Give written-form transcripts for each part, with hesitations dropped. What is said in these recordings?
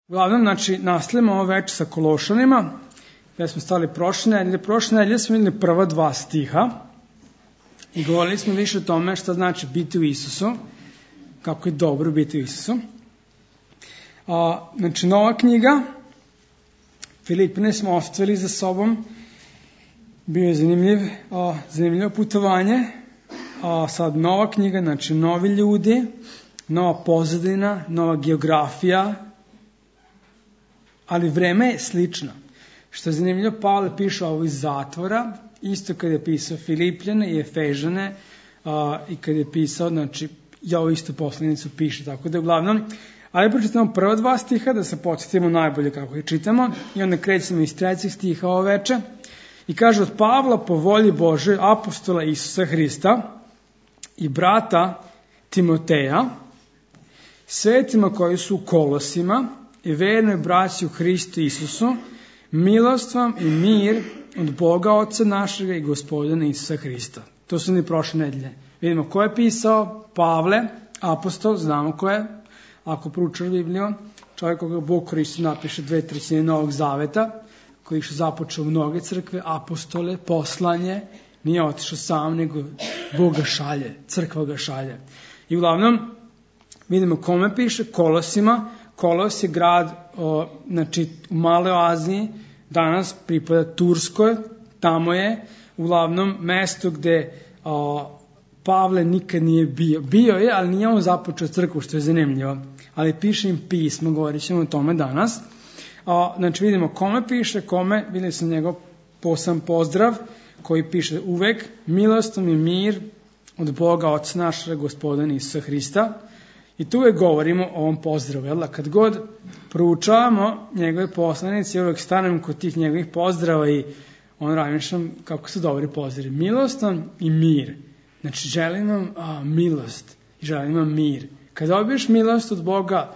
Uglavnom, znači, nastavljamo ovo večer sa Kološanima, gde smo stali prošle nedelje. Prošle nedelje smo videli prva dva stiha i govorili smo više o tome šta znači biti u Isusu, kako je dobro biti u Isusu. Znači, nova knjiga, Filipine smo ostavili za sobom, bio je zanimljivo putovanje, sad nova knjiga, znači novi ljudi, nova pozadina, nova geografija, ali vreme je slično. Što je zanimljivo, Pavle piše ovo iz zatvora, isto kada je pisao Filipljane i Efežane, i kada je pisao, znači, ja ovu istu poslanicu piše, tako da uglavnom, ali pročitamo prva dva stiha, da se podsjetimo najbolje kako ih čitamo, i onda krećemo iz trećeg stiha ovo veče, i kaže od Pavla po volji Bože, apostola Isusa Hrista i brata Timoteja, svetima koji su u Kolosima, i vernoj braći u Hristu Isusu, milost vam i mir od Boga Oca našega i Gospodina Isusa Hrista. To su ni prošle nedelje. Vidimo ko je pisao, Pavle, apostol, znamo ko je, ako proučaš Bibliju, čovjek koga Bog koristi napiše 2/3 Novog Zaveta, koji je započeo mnoge crkve, apostole, poslanje, nije otišao sam, nego Bog ga šalje, crkva ga šalje. I uglavnom, vidimo kome piše, Kolosima. Kolos je grad, znači, u Maloj Aziji, danas pripada Turskoj, tamo je uglavnom mesto gde Pavle nikad nije bio. Bio je, ali nije on započeo crkvu, što je zanimljivo. Ali piše im pismo, govorit ćemo o tome danas. Znači, vidimo kome piše, videli sam njegov poseban pozdrav, koji piše uvek, milostom i mir od Boga Oca našega Gospodina Isusa Hrista. I tu uvek govorimo o ovom pozdravu, jel da? Kad god proučavamo njegove poslanice, uvek stanem kod tih njegovih pozdrava i razmišljam kako su dobri pozdravi. Milostan i mir. Znači, želim vam milost i želim vam mir. Kad dobiješ milost od Boga,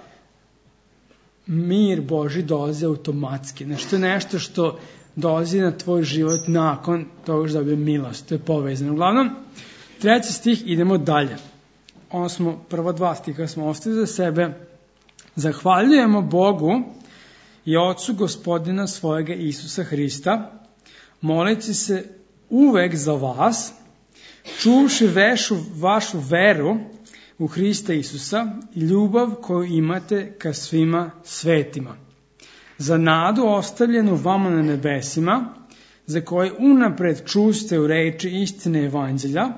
mir Boži dolazi automatski. Znači, to je nešto što dolazi na tvoj život nakon toga što dobije milost. To je povezano. Uglavnom, treći stih, idemo dalje. Prva dva stiha smo ostavili za sebe. Zahvaljujemo Bogu i Ocu Gospodina svojega Isusa Hrista, moleći se uvek za vas, čuvši vašu veru u Hrista Isusa i ljubav koju imate ka svima svetima. Za nadu ostavljenu vama na nebesima, za koje unapred čuste u reči istine evanđelja,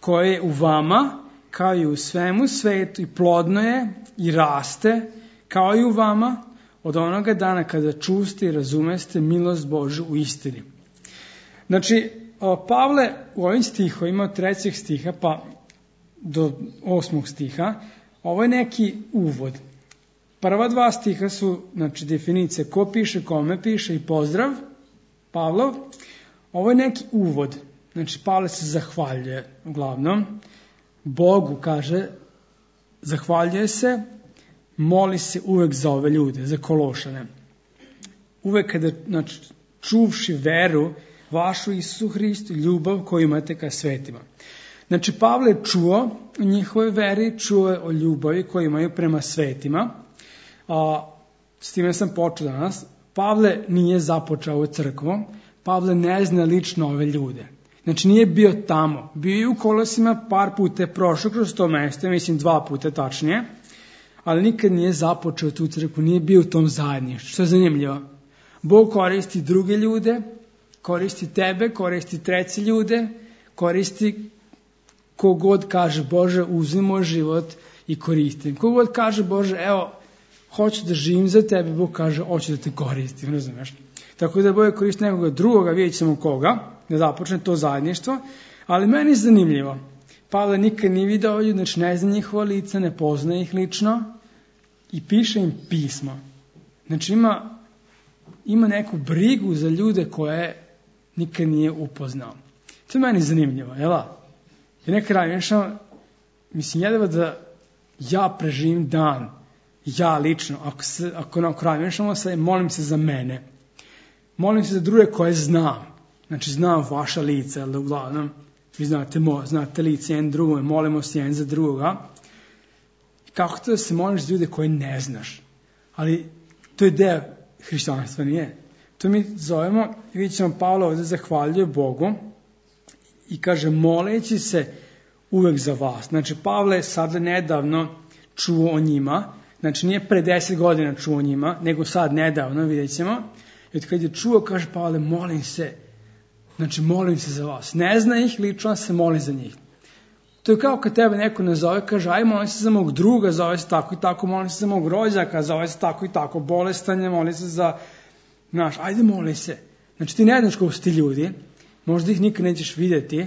koje je u vama, kao i u svemu svetu, i plodno je i raste, kao i u vama, od onoga dana kada čuste i razumeste milost Božju u istini. Znači, Pavle u ovim stihovima od 3. stiha pa do 8. stiha, ovo je neki uvod. Prva dva stiha su, znači, definicije ko piše, kome piše i pozdrav, Pavlov. Ovo je neki uvod. Znači, Pavle se zahvaljuje uglavnom Bogu, kaže, zahvaljuje se, moli se uvek za ove ljude, za Kološane. Uvek kada, znači, čuvši veru vašu Isusu Hristu, ljubav koju imate ka svetima. Znači, Pavle je čuo o njihovoj veri, čuo je o ljubavi koju imaju prema svetima. S time sam počeo danas. Pavle nije započeo ovu crkvu, Pavle ne zna lično ove ljude. Znači, nije bio tamo. Bio je u Kolosima, par puta je prošao kroz to mesto, mislim 2 puta tačnije, ali nikad nije započeo tu crkvu, nije bio u tom zajedništvu. Što je zanimljivo? Bog koristi druge ljude, koristi tebe, koristi treće ljude, koristi kogod kaže Bože, uzmi moj život i koristim. Kogod kaže Bože, evo, hoću da živim za tebe, Bog kaže, hoću da te koristim, razumeš? Tako da Bog koristi nekoga drugoga, vidjet ćemo koga, da započne to zajedništvo, ali meni je zanimljivo. Pavle nikad nije video ljudi, znači ne zna njihova lica, ne poznaje ih lično i piše im pismo. Znači ima neku brigu za ljude koje nikad nije upoznao. To je meni zanimljivo, jel da? I nekad razmišljam, mislim, jedva da ja preživim dan, ja lično, ako razmišljamo se, molim se za mene. Molim se za druge koje znam. Znači, znam vaša lica, ali uglavnom, vi znate lice jedan drugome, molimo se jedan za drugoga. Kako to da se moliš za ljude koje ne znaš? Ali To je deo hrišćanstva, nije? To mi zovemo, vidjet ćemo Pavla ovdje zahvaljuje Bogu i kaže moleći se uvek za vas. Znači Pavle sad nedavno čuo o njima, znači nije pre 10 godina čuo o njima, nego sad nedavno, vidjet ćemo. I od kad je čuo, kaže Pavle, molim se, znači molim se za vas. Ne zna ih, lično se moli za njih. To je kao kad tebe neko nazove, kaže, aj molim se za mog druga, zove se tako i tako, molim se za mog rođaka, zove se tako i tako, bolestan, molim se za, znaš, ajde moli se. Znači ti ne znaš kako su ti ljudi, možda ih nikad nećeš vidjeti,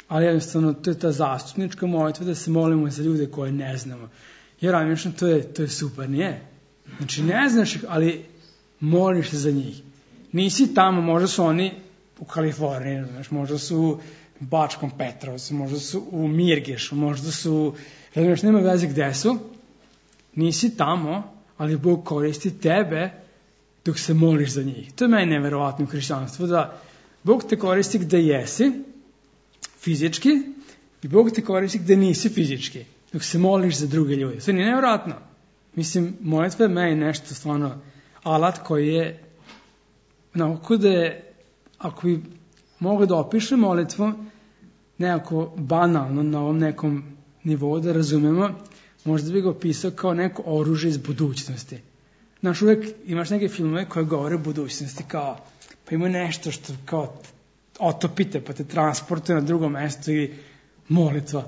ali jednostavno to je ta zastupnička molitva da se molimo za ljude koje ne znamo. Jer ramišno to je super, nije? Znači ne znaš ih, ali moliš se za njih. Nisi tamo, možda su oni u Kaliforniji, znaš, možda su u Bačkom Petrovcu, možda su u Mirgešu, možda su, znaš, nema veze gde su. Nisi tamo, ali Bog koristi tebe dok se moliš za njih. To je meni neverovatno u hrišćanstvu, da Bog te koristi gde jesi, fizički, i Bog te koristi gde nisi fizički, dok se moliš za druge ljude. To nije nevjerojatno. Mislim, molitva je meni nešto stvarno alat koji je, onako da je, ako bi mogli da opišem molitvu, nekako banalno na ovom nekom nivou da razumemo, možda bi ga opisao kao neko oružje iz budućnosti. Znaš, uvek imaš neke filmove koje govore o budućnosti, kao, pa ima nešto što kao otopite, pa te transportuje na drugo mesto i molitva.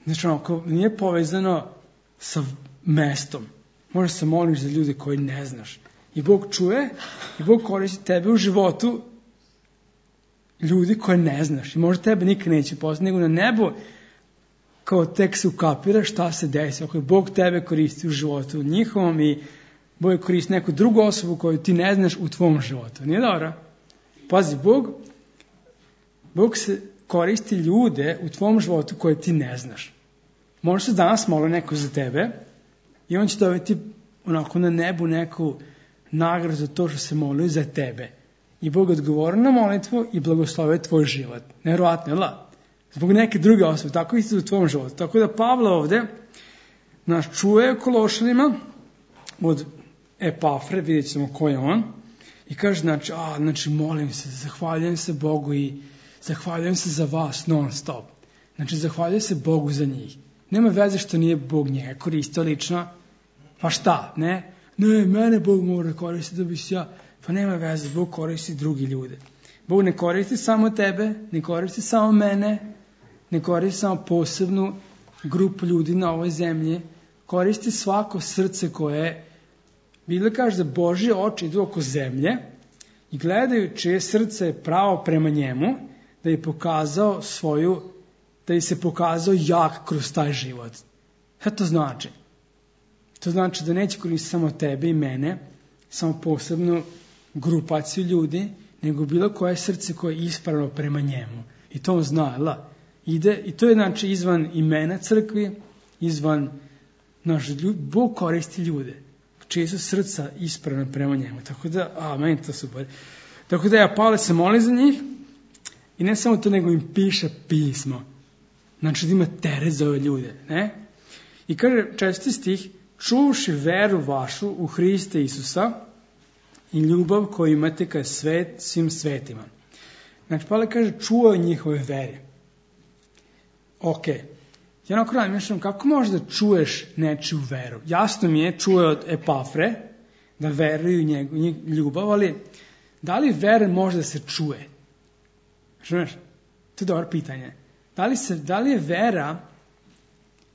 Znači, onako, nije povezano sa mestom. Možeš se moliš za ljude koji ne znaš. I Bog čuje, i Bog koristi tebe u životu ljudi koje ne znaš. I možda tebe nikad neće poznati, nego na nebu kao tek se ukapira šta se desi. Ako je Bog tebe koristi u životu njihovom i Bog koristi neku drugu osobu koju ti ne znaš u tvom životu. Nije dobro? Pazi, Bog se koristi ljude u tvom životu koje ti ne znaš. Možda se danas moli neko za tebe i on će dobiti onako na nebu neku nagradu za to što se molio za tebe. I Bog odgovori na molitvu i blagoslovuje tvoj život. Nevjerovatno, jel da? Zbog neke druge osobe, tako isto u tvom životu. Tako da Pavle ovdje nas čuje Kološanima od Epafre, vidjet ćemo ko je on, i kaže, znači molim se, zahvaljujem se Bogu i zahvaljujem se za vas non stop. Znači zahvaljujem se Bogu za njih. Nema veze što nije Bog njega koristio lično, pa šta, ne? Ne, mene Bog mora koristiti da bi se ja, pa nema veze, Bog koristi drugi ljude. Bog ne koristi samo tebe, ne koristi samo mene, ne koristi samo posebnu grupu ljudi na ovoj zemlji, koristi svako srce koje, Biblia kaže da Božje oči idu oko zemlje i gledaju čije srce je pravo prema njemu, da je pokazao da je se pokazao jak kroz taj život. Šta to znači? To znači da neće koristiti samo tebe i mene, samo posebnu grupaciju ljudi, nego bilo koje srce koje je ispravno prema njemu. I to on zna, ide, i to je znači izvan imena crkvi, izvan Bog koristi ljude, čije su srca ispravno prema njemu. Tako da, meni to super. Tako da Pavle se moli za njih i ne samo to, nego im piše pismo. Znači da ima teret za ove ljude, ne? I kaže 4. stih, čuvši veru vašu u Hriste Isusa i ljubav koju imate ka svim svetima. Znači, Pavle kaže, čuvaju njihove vere. Ok. Ja onako razmišljam, kako možeš da čuješ nečiju veru? Jasno mi je, čuje od Epafre, da veruju u ljubav, ali da li vera može da se čuje? Znaš, to je dobro pitanje. Da li je vera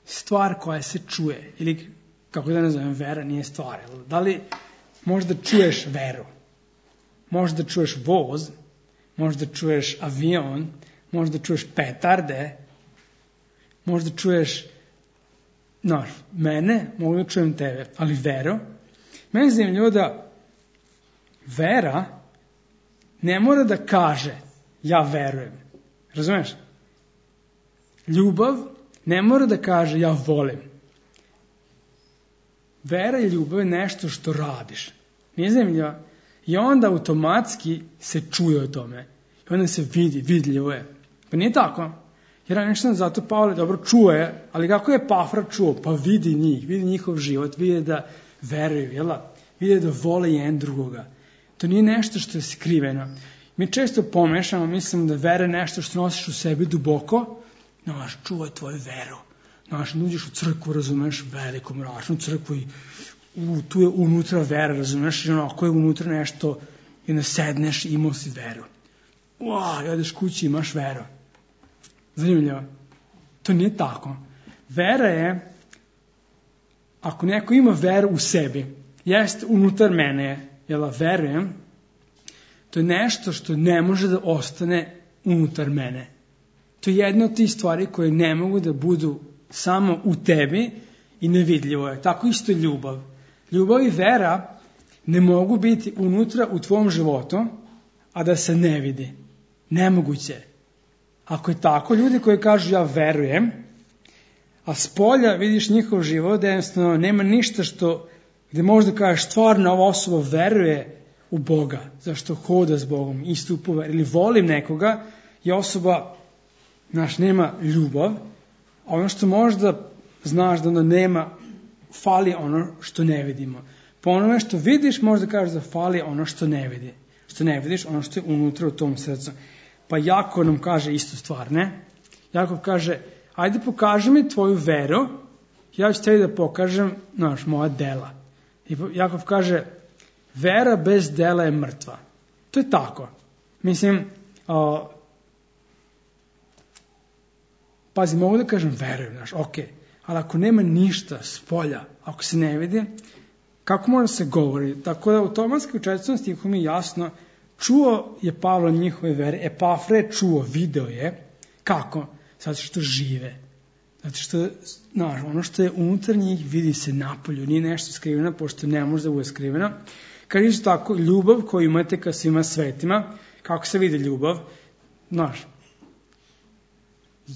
stvar koja se čuje? Ili, kako da nazovem, vera nije stvar. Da li možda čuješ veru? Možda čuješ voz, možda čuješ avion, možda čuješ petarde, možda čuješ mene, mogu da čujem tebe, ali veru. Meni je zanimljivo da vera ne mora da kaže ja verujem. Razumeš? Ljubav ne mora da kaže ja volim. Vera i ljubav je nešto što radiš. Nije zanimljivo? I onda automatski se čuje o tome. I onda se vidljivo je. Pa nije tako. Jer nešto zato Pavle dobro čuje, ali kako je Epafra čuo? Pa vidi njih, vidi njihov život, vidi da veruju, jel? vide da vole jedan drugoga. To nije nešto što je skriveno. Mi često pomešamo, mislim da vera je nešto što nosiš u sebi duboko, čuvaj tvoju veru. Uđeš u crkvu, razumeš, veliku mračnu crkvu i tu je unutra vera, razumeš, i ako je unutra nešto, i ne sedneš i imao si veru. I odeš kući i imaš veru. Zanimljivo. To nije tako. Vera je, ako neko ima veru u sebi, jeste unutar mene, jel verujem, to je nešto što ne može da ostane unutar mene. To je jedna od tih stvari koje ne mogu da budu samo u tebi i nevidljivo je. Tako isto ljubav. Ljubav i vera ne mogu biti unutra u tvom životu, a da se ne vidi. Nemoguće. Ako je tako, ljudi koji kažu ja verujem, a s polja vidiš njihov život, da jednostavno nema ništa gde možda kažeš stvarno ova osoba veruje u Boga, zašto hoda s Bogom, istupa ili volim nekoga, i osoba nema ljubav, a ono što možda znaš da ono nema, fali ono što ne vidimo. Po onome što vidiš možda kažeš da fali ono što ne vidi. Što ne vidiš, ono što je unutra u tom srcu. Pa Jakov nam kaže istu stvar, ne? Jakov kaže, ajde pokaži mi tvoju veru, ja ću tebi da pokažem, moja dela. I Jakov kaže, vera bez dela je mrtva. To je tako. Mislim, pazi, mogu da kažem verujem, ok, ali ako nema ništa s polja, ako se ne vidi, kako može se govori? Tako da automatski u 4. stihu mi jasno, čuo je Pavlo njihove vere, Epafra je čuo, video je, kako? Zato što žive. Zato što, ono što je unutar njih vidi se napolju, nije nešto skriveno, pošto ne može da bude skriveno. Kad isto tako, ljubav koju imate ka svima svetima, kako se vidi ljubav?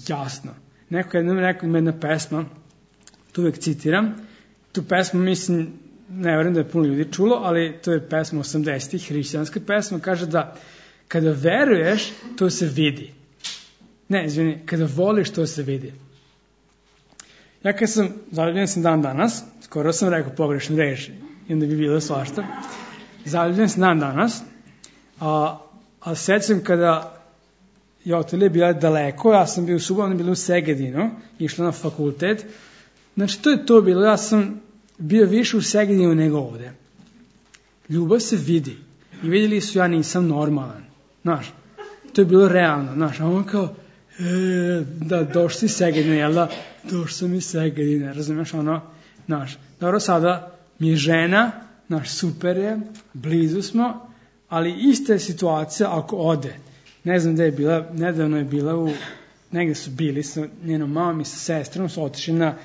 Jasno. Neko jednom rekao ima jedna pesma, tu uvijek citiram, tu pesmu mislim, ne vjerujem da je puno ljudi čulo, ali to je pesma 80-ih, hrišćanska pesma, kaže da kada veruješ, to se vidi. Ne, izvini, kada voliš, to se vidi. Ja kad sam, zaljubljen sam dan danas, skoro sam rekao pogrešnu reč, i onda bi bilo svašta, zaljubljen sam dan danas, a sećam kada je Otilija bila daleko, ja sam bio u Subotu, ona je bila u Segedinu, išla na fakultet, znači to je to bilo, ja sam bio više u Segedinu nego ovde. Ljubav se vidi i vidjeli su ja nisam normalan, to je bilo realno, a on kao, da došli iz Segedina, jel da, došli sam iz Segedina, razumiješ dobro, sada mi je žena, super je, blizu smo, ali ista je situacija ako ode. Ne znam gde je bila, nedavno je bila negde su bili sa njenom mamom i sa sestrom, su otišli na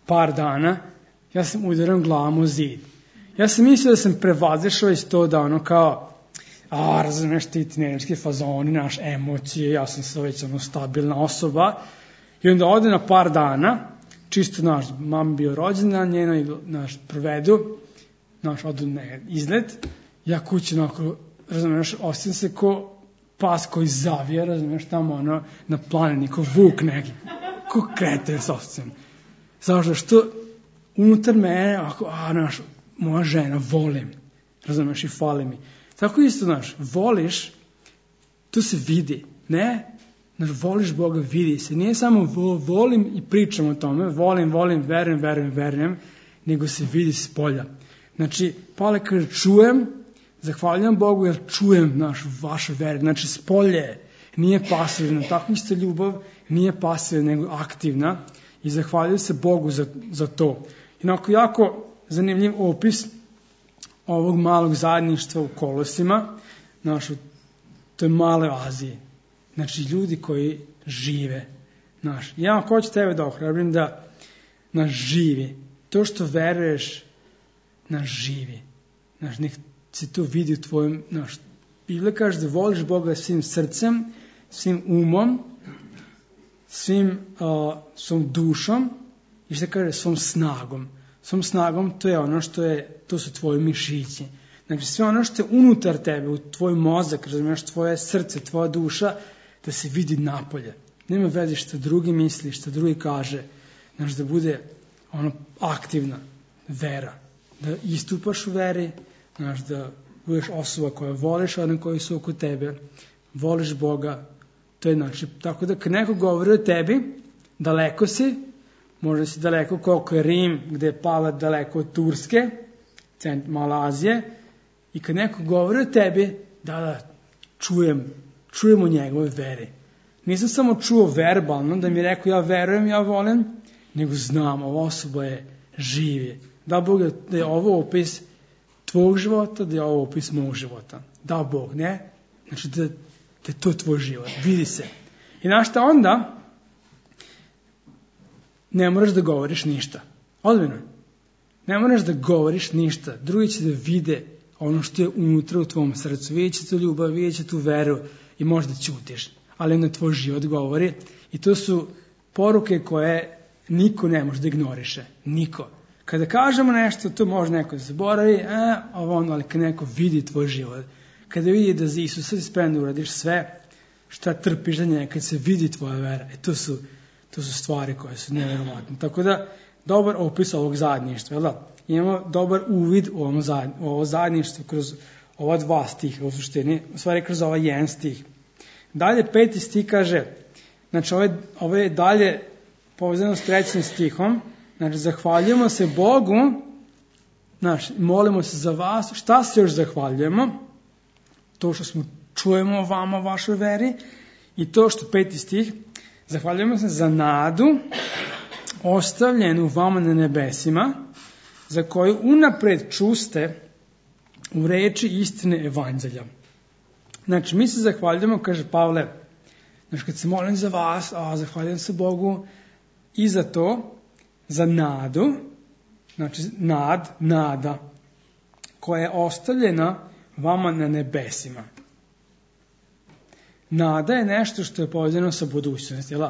par dana, ja sam udaran glavom u zid. Ja sam mislio da sam prevazišao iz to da kao, razumeš ti teenagerski fazoni, emocije, ja sam već stabilna osoba, i onda ode na par dana, čisto mama bio rođena, njeno provedu, odu na izlet, ja kući razumeš, ostavim se ko pas koji zavija, razumiješ, tamo na planini, ko vuk neki, ko kreten s ovcem. Zašto? Što unutar mene, moja žena, volim, razumiješ, i fali mi. Tako isto, voliš, to se vidi, ne? Voliš Boga, vidi se. Nije samo volim i pričam o tome, volim, verujem, nego se vidi s polja. Znači, Pavle kaže, čujem, zahvaljujem Bogu jer čujem vašu veru. Znači, spolje nije pasivno. Tako isto ljubav nije pasivna, nego aktivna. I zahvaljujem se Bogu za to. Inako, jako zanimljiv opis ovog malog zajedništva u Kolosima, to je male Azije. Znači, ljudi koji žive. Ja vam hoću tebe da ohrabrim da živi. To što veruješ, živi. Nek se to vidi u tvojom, Biblia kaže da voliš Boga svim srcem, svim umom, svom dušom i što kaže svom snagom. Svom snagom to je ono to su tvoje mišići. Znači sve ono što je unutar tebe, u tvoj mozak, razumiješ, tvoje srce, tvoja duša, da se vidi napolje. Nema veze što drugi misli, što drugi kaže, da bude aktivna vera. da istupaš u veri, znaš, da budeš osoba koja voliš one koji su oko tebe, voliš Boga, to je znači, tako da kad neko govori o tebi, daleko si, možda si daleko koliko je Rim, gde je pala daleko od Turske, Malazije, i kad neko govori o tebi, da, čujemo njegove veri. Nisam samo čuo verbalno, da mi je rekao ja verujem, ja volim, nego znam, ova osoba je živi. Da Bog da je ovo opis tvog života, da je ovo opis mog života. Da Bog, ne? Znači da je to tvoj život, vidi se. I znaš šta onda? Ne moraš da govoriš ništa. Ozbiljno. Ne moraš da govoriš ništa. Drugi će da vide ono što je unutra u tvom srcu. Vidjet će tu ljubav, vidjet će tu veru i možda ćutiš. Ali onda tvoj život govori. I to su poruke koje niko ne može da ignoriše. Niko. Kada kažemo nešto, to može neko da zaboravi, ali kad neko vidi tvoj život, kada vidi da za Isusa si spreman da uradiš sve, šta trpiš za njega, kad se vidi tvoja vera, to su stvari koje su nevjerovatne. Tako da, dobar opis ovog zajedništva, jel da? Imamo dobar uvid u ovo zajedništvo kroz ova 2 stiha, u suštini, u stvari kroz ovaj 1 stih. Dalje 5. stih kaže, znači ovo je dalje povezano s 3. stihom, znači zahvaljujemo se Bogu, znači molimo se za vas, šta se još zahvaljujemo? To što smo čujemo o vama, o vašoj veri, i to što 5. stih, zahvaljujemo se za nadu ostavljenu vama na nebesima, za koju unapred čuste u reči istine evanđelja. Znači, mi se zahvaljujemo, kaže Pavle, znači kad se molim za vas, zahvaljujem se Bogu i za to, za nadu, znači nada, koja je ostavljena vama na nebesima. Nada je nešto što je povezano sa budućnosti, jel?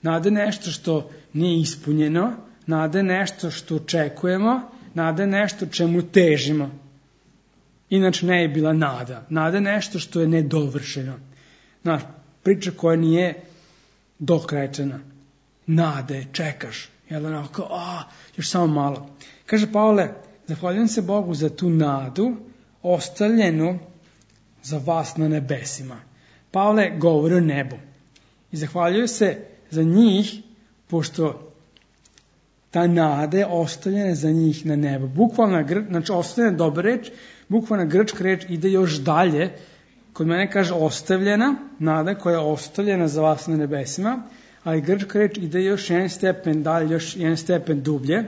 Nada je nešto što nije ispunjeno, nada je nešto što očekujemo, nada je nešto čemu težimo. Inače ne je bila nada. Nada je nešto što je nedovršeno. Znaš, priča koja nije dokrajčena. Nade, čekaš. Jel onako, još samo malo. Kaže Pavle, zahvaljujem se Bogu za tu nadu ostavljenu za vas na nebesima. Pavle govori o nebu. I zahvaljuju se za njih, pošto ta nada je ostavljena za njih na nebu. Bukvalna, znači ostavljena dobra reč, bukvalna grčka reč ide još dalje. Kod mene kaže ostavljena, nada koja je ostavljena za vas na nebesima, ali grčka reč ide još 1 stepen dalje, još 1 stepen dublje.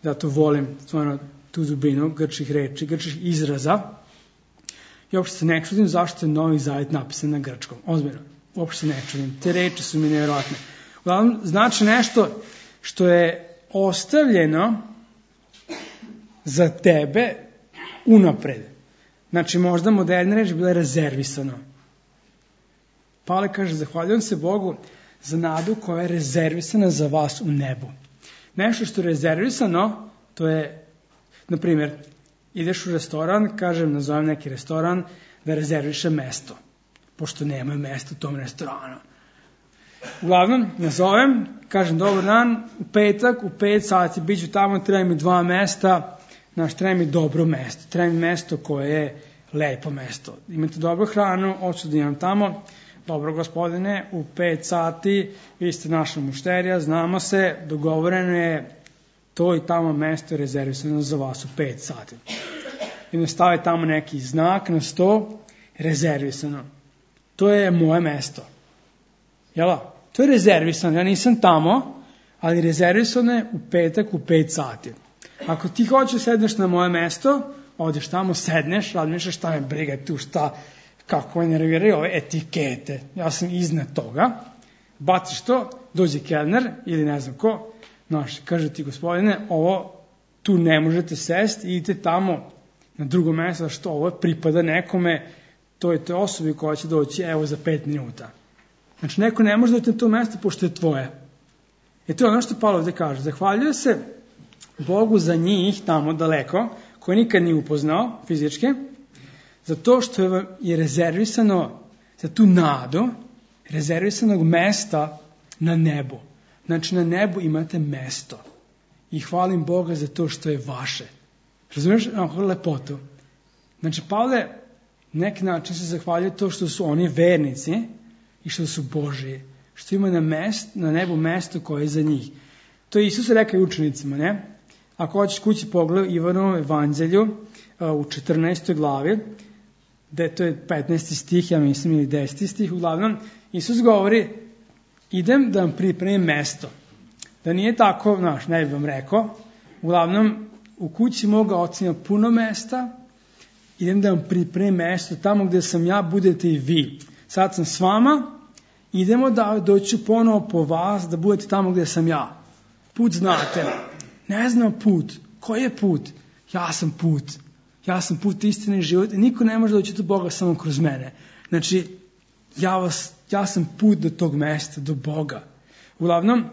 Zato volim stvarno tu dubinu grčkih reči, grčkih izraza. I uopšte se ne čudim zašto je Novi Zavet napisan na grčkom. Ozbiljno, uopšte se ne čudim. Te reči su mi nevjerojatne. Uglavnom, znači nešto što je ostavljeno za tebe unapred. Znači, možda moderna reč bila rezervisano. Pavle kaže, zahvaljujem se Bogu za nadu koja je rezervisana za vas u nebu. Nešto što je rezervisano, to je, na primjer, ideš u restoran, nazovem neki restoran, da rezerviše mesto, pošto nema mesta u tom restoranu. Uglavnom, nazovem, kažem, dobar dan, u petak, u 5 sati, bit ću tamo, treba mi 2 mesta, treba mi dobro mesto, treba mi mesto koje je lepo mesto. Imate dobru hranu, hoću da imam tamo, dobro gospodine, u 5 sati, vi ste naša mušterija, znamo se, dogovoreno je, to i tamo mesto je rezervisano za vas u 5 sati. I ne stavi tamo neki znak na sto, rezervisano. To je moje mesto. Jela? To je rezervisano, ja nisam tamo, ali rezervisano je u petak u 5 sati. Ako ti hoćeš sedneš na moje mesto, odeš tamo, sedneš, razmišljaš šta me briga tu, kako me nerviraju ove etikete. Ja sam iznad toga, baciš to, dođe kelner ili ne znam ko, kaže ti gospodine, ovo tu ne možete sesti, idite tamo na drugo mjesto, što ovo pripada nekome, to je osobi koja će doći evo za 5 minuta. Znači neko ne može doći na to mjesto pošto je tvoje. I to je ono što Pavle ovdje kaže. Zahvaljuje se Bogu za njih tamo daleko, koji nikad nije upoznao fizički, za to što je rezervisano za tu nadu, rezervisanog mesta na nebu. Znači na nebu imate mesto. I hvalim Boga za to što je vaše. Razumiješ lepotu? Znači, Pavle neki način se zahvaljuje to što su oni vernici i što su Božiji, što ima na nebu mesto koje je za njih. To je Isus rekao i učenicima, ne? Ako hoćeš kući pogledaj Ivanovom evanđelju u 14. glavi, gde to je 15. stih, ja mislim, ili 10. stih, uglavnom, Isus govori, idem da vam pripremim mesto. Da nije tako, ne bih vam rekao, uglavnom, u kući moga oca ima puno mesta, idem da vam pripremim mesto, tamo gde sam ja, budete i vi. Sad sam s vama, idemo da doću ponovo po vas, da budete tamo gde sam ja. Put znate. Ne znam put. Koji je put? Ja sam put. Ja sam put istine i život. Niko ne može doći do Boga samo kroz mene. Znači, ja sam put do tog mesta, do Boga. Uglavnom,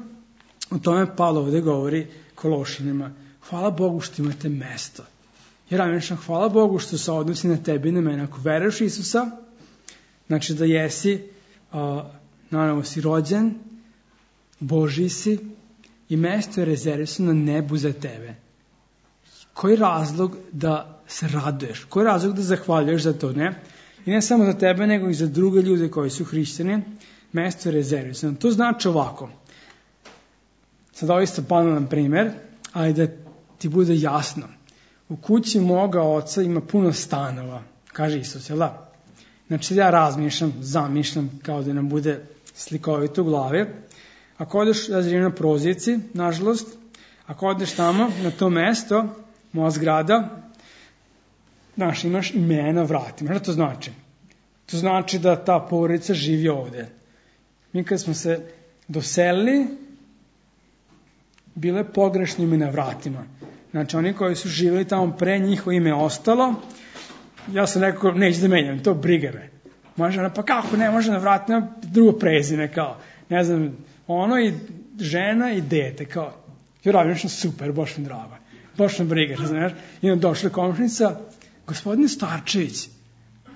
o tome Pavle ovdje govori Kološanima. Hvala Bogu što imate mesto. Jer Amen, hvala Bogu što se odnosi na tebi i na mene. Ako veruješ Isusa, znači da jesi, naravno si rođen, Božji si i mesto je rezervisano na nebu za tebe. Koji razlog da se raduješ? Koji razlog da zahvaljuješ za to, ne? I ne samo za tebe, nego i za druge ljude koji su hrišćani. Mesto je rezervisano. To znači ovako. Sad ovo isto banalan primjer, ali da ti bude jasno. U kući moga oca ima puno stanova, kaže Isus, jel da? Znači ja zamišljam kao da nam bude slikovito u glavi. Ako odeš, ja živim na Prozirci, nažalost, ako odeš tamo, na to mesto, moja zgrada, imaš ime na vratima. Šta to znači? To znači da ta porodica živi ovdje. Mi kad smo se doselili, bile pogrešno ime na vratima. Znači, oni koji su živjeli tamo pre, njihovo ime ostalo. Ja sam rekao, neću da menjam, to briga me. Može ona, pa kako ne može na vratima, drugo prezime, kao, ne znam, ono i žena i dete, kao, radim super, baš mi drago, baš mi briga, znaš. I onda došla komšnica, gospodine Starčević,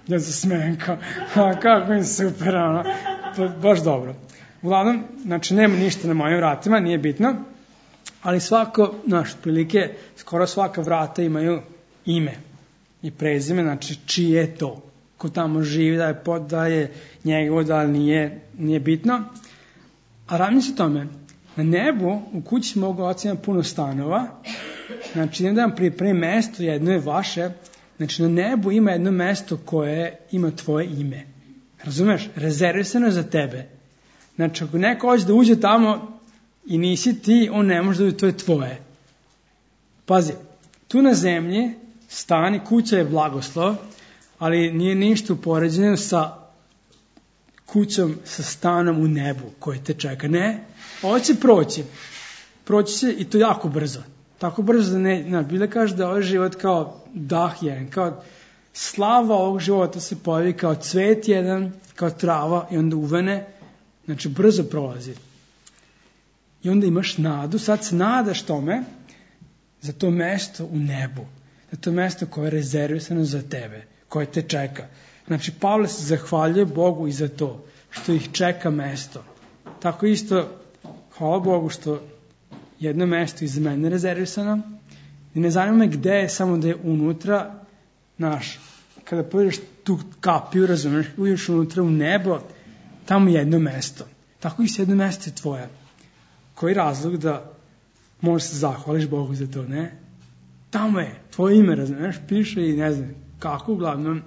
ja se smijem, kao, kako im super, ono, baš dobro. Uglavnom, znači, nema ništa na mojim vratima, nije bitno. Ali prilike, skoro svaka vrata imaju ime i prezime, znači čije je to. Ko tamo živi, da je njegovo, da nije bitno. A ravni se tome, na nebu u kući mogu oca ima puno stanova, znači idem da vam pripremim mesto, jedno je vaše, znači na nebu ima jedno mesto koje ima tvoje ime. Razumeš? Rezervisano za tebe. Znači ako neko hoće da uđe tamo, i nisi ti, on ne može da to je tvoje. Pazi, tu na zemlji stan i kuća je blagoslov, ali nije ništa upoređeno sa kućom, sa stanom u nebu koji te čeka. Ne, ovo će proći. Proći će i to jako brzo. Tako brzo da ne, Biblia kaže da ovaj život kao dah jedan, kao slava ovog života se pojavi kao cvet jedan, kao trava i onda uvene, znači brzo prolazi. I onda imaš nadu, sad se nadaš tome za to mesto u nebu, za to mesto koje je rezervisano za tebe, koje te čeka. Znači, Pavle se zahvaljuje Bogu i za to, što ih čeka mesto. Tako isto, hvala Bogu što jedno mesto iz mene rezervisano i ne zanima me gde je, samo da je unutra, kada pojedeš tu kapiju, razumiješ, uđeš unutra u nebo, tamo je jedno mesto. Tako isto jedno mesto je tvoje. Koji razlog da možeš se zahvališ Bogu za to, ne? Tamo je, tvoje ime, razumiješ, piše i ne znam kako, uglavnom,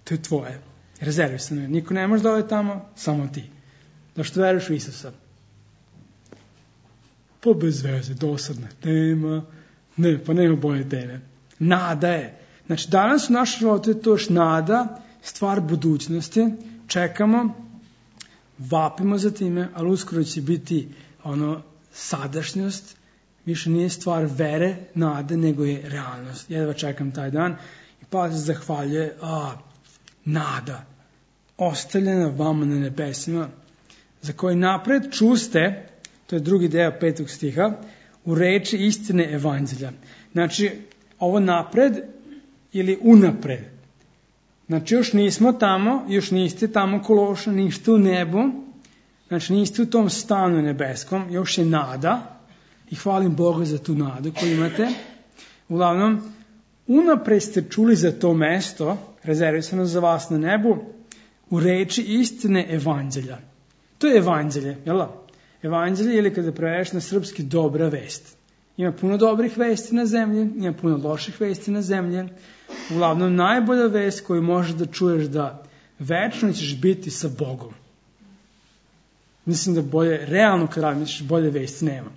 to je tvoje. Rezervisano je. Niko ne može da ode tamo, samo ti. Da što veruješ u Isusa. Pa bez veze, dosadna tema. Ne, pa nema bolje teme. Nada je. Znači, danas u našem životu je to još nada, stvar budućnosti. Čekamo, vapimo za time, ali uskoro će biti sadašnjost, više nije stvar vere, nade, nego je realnost. Jedva čekam taj dan i pa se zahvaljuje, nada, ostavljena vama na nebesima, za koji napred čuste, to je drugi deo 5. stiha, u reči istine evanđelja. Znači, ovo napred ili unapred. Znači, još nismo tamo, još niste tamo Kološa, ništa u nebu, znači niste u tom stanu nebeskom, još je nada i hvalim Boga za tu nadu koju imate. Uglavnom, unapred ste čuli za to mesto, rezervisano za vas na nebu, u reči istine evanđelja. To je evanđelje, jel da? Evanđelje, ili kada prevedeš na srpski, dobra vest. Ima puno dobrih vesti na zemlji, ima puno loših vesti na zemlji. Uglavnom, najbolja vest koju možeš da čuješ da večno ćeš biti sa Bogom. Mislim da bolje, realno kad razmišljaš, bolje vesti nema.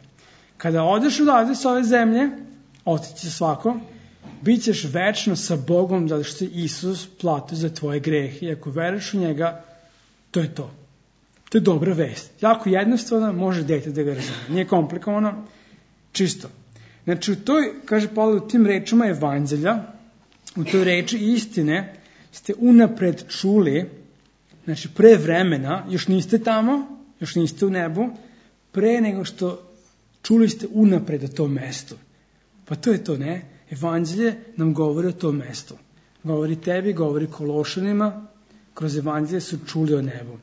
Kada odeš odavde s ove zemlje, otići će svako, bit ćeš večno sa Bogom, zato što je Isus platio za tvoje grehe. I ako veruješ u njega, to je to. To je dobra vest. Jako jednostavno, može dete da ga razume. Nije komplikovano, čisto. Znači, u toj, kaže Pavle, u tim rečima evanđelja, u toj reči istine, ste unapred čuli, znači pre vremena, još niste tamo, još niste u nebu, pre nego što čuli ste unapred o tom mestu. Pa to je to, ne? Evanđelje nam govori o tom mestu. Govori tebi, govori Kološanima, kroz evanđelje su čuli o nebu.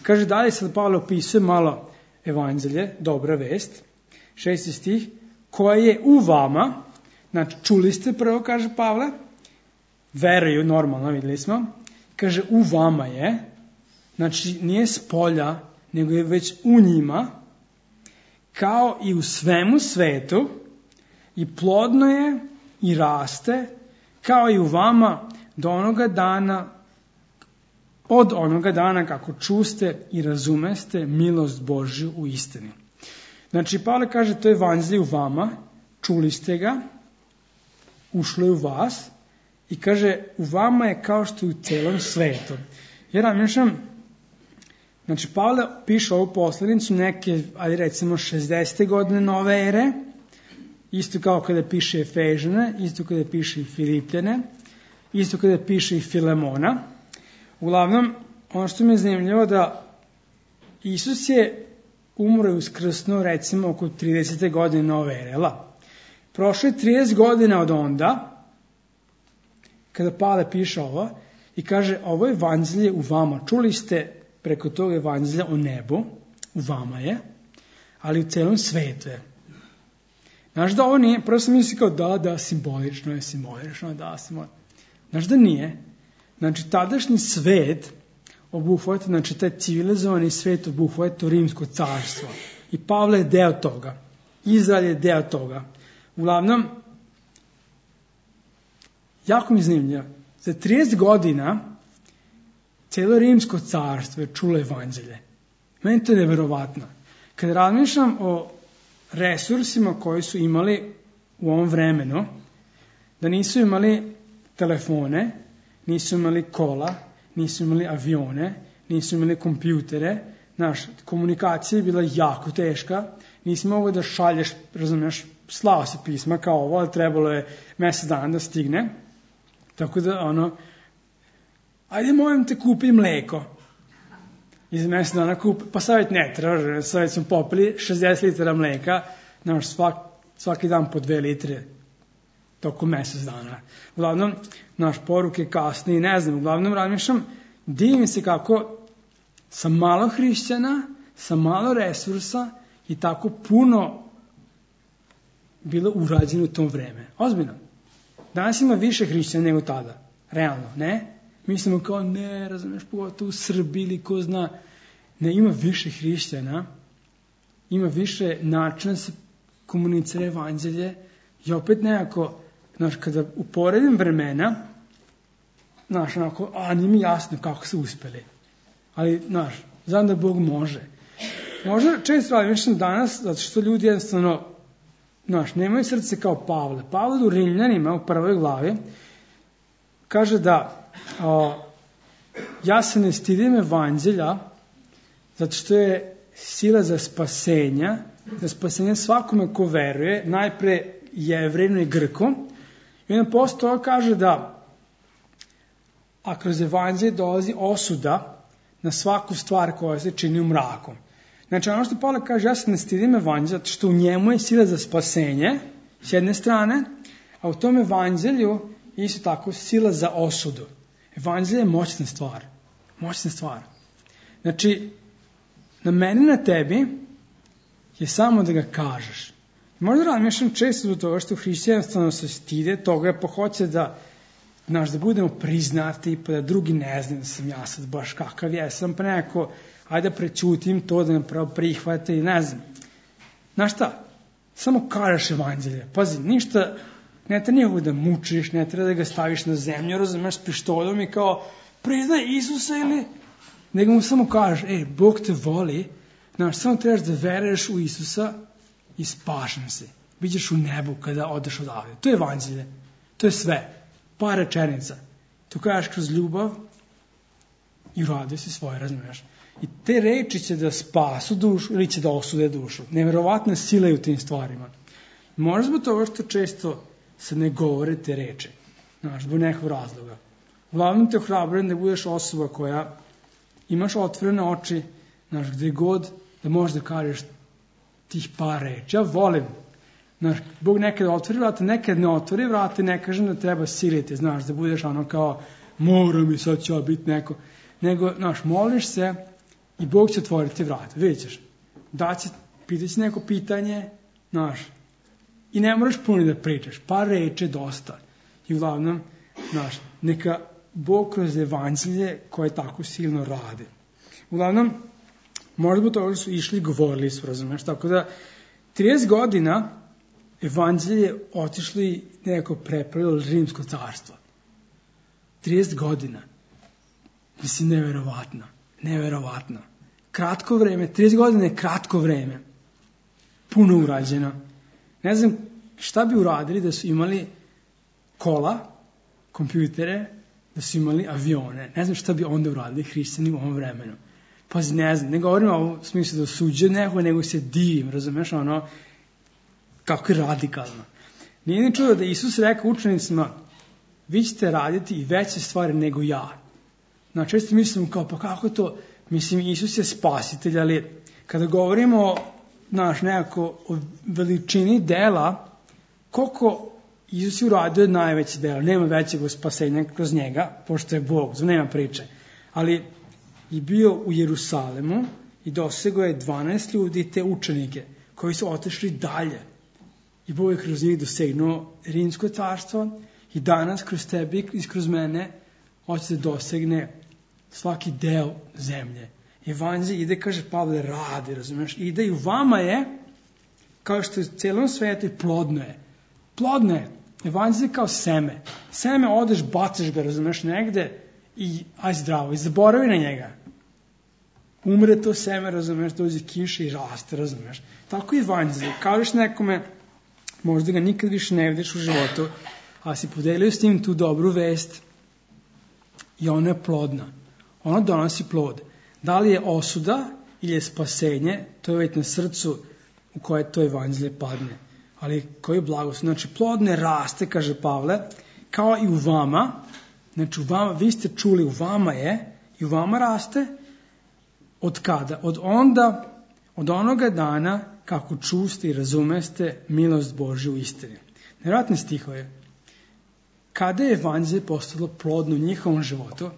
Kaže dalje, sad Pavle opisuje malo evanđelje, dobra vest, 6. stih, koja je u vama, znači čuli ste prvo, kaže Pavle, veruju, normalno, vidjeli smo, kaže u vama je, znači nije s polja, nego je već u njima, kao i u svemu svetu, i plodno je i raste, kao i u vama do onoga dana, od onoga dana kako čuste i razumeste milost Božju u istini. Znači, Pavle kaže, to je evanđelje u vama, čuli ste ga, ušlo je u vas, i kaže, u vama je kao što je u celom svetu. Jer razmišljam, znači, Pavle piše ovu poslanicu neke, ali recimo 60. godine nove ere, isto kao kada piše Efežane, isto kada piše i Filipljane, isto kada piše i Filemona. Uglavnom, ono što mi je zanimljivo da Isus je umro i uskrsnuo recimo oko 30. godine nove ere. Prošlo je 30 godina od onda, kada Pavle piše ovo, i kaže, ovo je evanđelje u vama. Čuli ste preko toga evanđelja o nebu, u vama je, ali u celom svetu je. Znaš da ovo nije, prvo sam mislio kao da, simbolično je, Znaš da nije. Znači, tadašnji svet obuhvata, znači taj civilizovani svet obuhvata to rimsko carstvo. I Pavle je deo toga. Izrael je deo toga. Uglavnom, jako mi zanimljivo, za 30 godina cijelo rimsko carstvo je čulo evanđelje. Meni to je neverovatno. Kada razmišljam o resursima koji su imali u ovom vremenu, da nisu imali telefone, nisu imali kola, nisu imali avione, nisu imali kompjutere, komunikacija je bila jako teška, nisi mogao da šalješ, razumiješ, slao se pisma kao ovo, ali trebalo je mjesec dana da stigne, tako da ajde molim te kupi mleko. I za mjesec dana kupi, pa savjet ne treba, savjet smo popili 60 litara mleka, svaki dan po 2 litre, tokom mjesec dana. Uglavnom, poruke kasnije, ne znam, uglavnom razmišljam, divim se kako sa malo hrišćana, sa malo resursa i tako puno bilo urađeno u tom vreme. Ozbiljno. Danas ima više hrišćana nego tada. Realno, ne? Mislimo kao, ne, razumiješ, pogotovo u Srbiji ili ko zna. Ne, ima više hrišćana, ima više načina se komunicira evanđelje i opet nekako, kada uporedim vremena, nije mi jasno kako su uspeli. Ali, znam da Bog može. Možda često razmišljam danas, zato što ljudi jednostavno, nemaju srce kao Pavle. Pavle u Rimljanima, u 1. glavi, kaže da ja se ne stidim evanđelja, zato što je sila za spasenje svakome ko veruje, najpre Jevrejinu i Grku. I onda posle toga kaže da a kroz evanđelje dolazi osuda na svaku stvar koja se čini u mraku. Znači, ono što Pavle kaže, ja se ne stidim evanđelja, zato što u njemu je sila za spasenje, s jedne strane, a u tom evanđelju isto tako sila za osudu. Evanđelje je moćna stvar. Moćna stvar. Znači, na meni, na tebi je samo da ga kažeš. Možda razmišljam često do toga što hrišćanstvo se stide toga, pa hoće da budemo priznati, pa da drugi ne znaju da sam ja sad baš kakav jesam, pa nekako, ajde da prećutim to, da me pravo prihvate i ne znam. Znaš šta? Samo kažeš evanđelje. Pazi, ništa, ne treba njegov da mučiš, ne treba da ga staviš na zemlju, razumeš, s pištoljom i kao, priznaj Isusa ili... Nego mu samo kažeš, Bog te voli, znaš, samo trebaš da veruješ u Isusa i spašen se. Bićeš u nebu kada odeš odavde. To je evanđelje. To je sve. Par rečenica. To kažeš kroz ljubav i uradio si svoje, razumiješ. I te reči će da spasu dušu ili će da osude dušu. Neverovatna sila je u tim stvarima. Možda zbog toga što često se ne govore te reči. Znaš, zbog nekog razloga. Uglavnom te ohrabrujem da budeš osoba koja imaš otvorene oči, znaš, gde god da možeš da kažeš tih par reči. Ja volim. Znaš, Bog nekada otvori vrata, nekada ne otvori vrata, ne kažem da treba siliti, znaš, da budeš ono kao, moram i sad ću ja biti neko. Nego, znaš, moliš se i Bog će otvoriti vrata, vidjet ćeš. Pitat će neko pitanje, znaš, i ne moraš puno da pričaš, par reči dosta. I uglavnom, znaš, neka Bog kroz evanđelje koje tako silno radi. Uglavnom, možda zbog toga su išli i govorili su, razumeš, tako da 30 godina evanđelje otišli nekako prepravilo rimsko carstvo. 30 godina. Mislim, neverovatno. Kratko vreme, 30 godina je kratko vreme. Puno urađeno. Ne znam šta bi uradili da su imali kola, kompjutere, da su imali avione. Ne znam šta bi onda uradili hrišćani u ovom vremenu. Pazi, ne znam, ne govorim o ovom smislu da osuđujem nekog, nego se divim, razumeš, ono, kako je radikalno. Nije ni čudo da Isus rekao učenicima, vi ćete raditi i veće stvari nego ja. Znači, često mislim kao, pa kako to, mislim, Isus je spasitelj, ali kada govorimo, nekako o veličini dela, koliko Isus je uradio najveće dela, nema većeg spasenja kroz njega, pošto je Bog, nema priče, ali je bio u Jerusalemu i dosegao je 12 ljudi, te učenike, koji su otišli dalje. I Bog je kroz njih dosegnuo rimsko carstvo i danas kroz tebe i kroz mene hoće da dosegne svaki deo zemlje. Evanđelje ide, kaže Pavle, radi, razumiješ, ide i u vama je, kao što je u celom svijetu, plodno je. Plodno je. Evanđelje kao seme. Seme odeš, bacaš ga, razumiješ, negde i aj zdravo, i zaboravi na njega. Umre to seme, razumiješ, dođe kiša i raste, razumiješ. Tako i evanđelje. Kažeš nekome, možda ga nikad više ne vidiš u životu, a si podelio s njim tu dobru vest i ona je plodna. Ona donosi plod. Da li je osuda ili je spasenje, to je već na srcu u koje to evanđelje padne. Ali koji je blagoslov? Znači, plod ne raste, kaže Pavle, kao i u vama. Znači, u vama, vi ste čuli, u vama je, i u vama raste. Od kada? Od onoga dana kako čuste i razumeste milost Božju u istini. Nevjerojatne stihove. Kada je evanđelje postalo plodno u njihovom životu,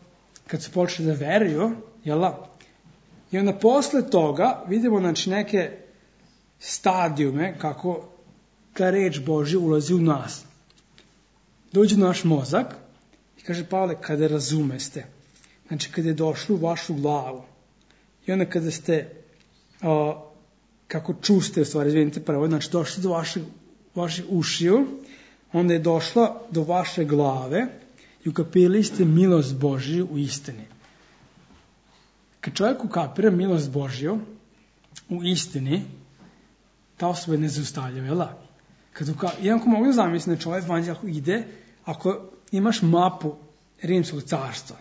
kad su počeli da veruju, jel'a? I onda posle toga vidimo, znači, neke stadijume kako ta reč Božja ulazi u nas. Dođe u naš mozak i kaže Pavle, kada razumeste, znači kada je došlo u vašu glavu i onda kada ste kako čuste, u stvari, izvinite prvo, znači došli do vaših ušiju, onda je došla do vaše glave i ukapirali ste milost Božju u istini. Kad čovjek ukapira milost Božju u istini, ta osoba je nezaustavljiva, jel' da? Iako mogu da zamislim da čovjek evanđelje ide, ako imaš mapu rimskog carstva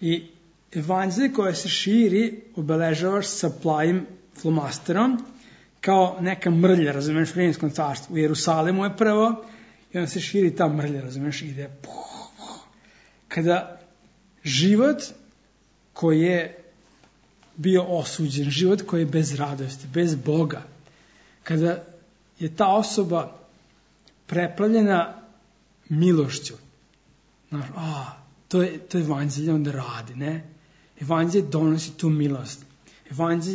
i evanđelje koje se širi obeležavaš sa plavim flomasterom kao neka mrlja, razumiješ, u rimskom carstvu. U Jerusalemu je prvo i onda se širi ta mrlja, razumiješ, ide. Kada život koji je bio osuđen, život koji je bez radosti, bez Boga, kada je ta osoba preplavljena milošću, znaš, to je evanđelje onda radi, ne? Evanđelje donosi tu milost.